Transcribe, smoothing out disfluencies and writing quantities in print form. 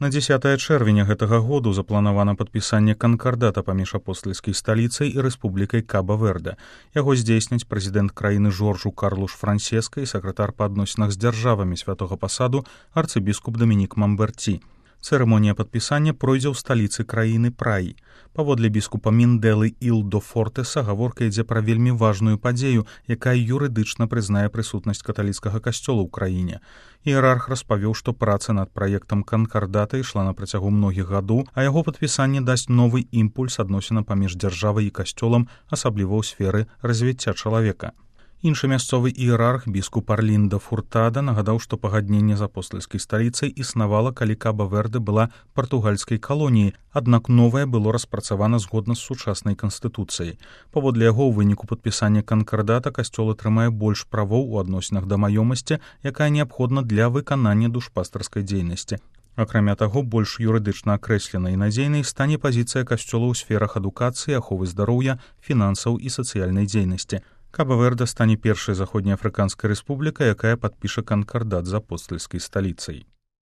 На 10 чэрвеня гэтага году запланавана падпісанне канкардата паміж апостальскай сталіцай і рэспублікай Каба-Верде. Яго здзейсняць прэзідэнт краіны Жоржу Карлуш Франсеска і сакратар па адносінах з дзяржавамі святога пасаду арцыбіскуп Дамінік Мамберці. Цырымонія падпісання пройдзе ў сталіцы краіны Праі. Паводле біскупа Міндэлы Ілдо Фортэса гаворка ідзе пра вельмі важную падзею, якая юрыдычна прызнае прысутнасць каталіцкага касцёла ў краіне. Іерарх распавёў, што праца над праектам канкардата ішла на працягу многіх гадоў, а яго падпісанне дасць новы імпульс адносінам паміж дзяржавай і касцёлам, асабліва ў сферы развіцця чалавека. Іншы мясцовы іерарх, біскуп Арліндо Фуртада, нагадаў, што пагадненне з апостальскай сталіцай існавала, калі Каба-Верде была партугальскай калоніяй, аднак новае было распрацавана згодна з сучаснай канстытуцыяй. Паводле яго, у выніку падпісання канкардата касцёл атрымае больш правоў у адносінах да маёмасці, якая неабходна для выканання душпастарскай дзейнасці. Акрамя таго, больш юрыдычна акрэсленай і надзейнай стане пазіцыя касцёла ў сферах адукацыі, аховы здароўя, фінансаў і сацыяльнай дзейнасці. Каба-Верде стане першай заходнеафрыканскай рэспублікай, якая падпіша канкардат з апостальскай сталіцай.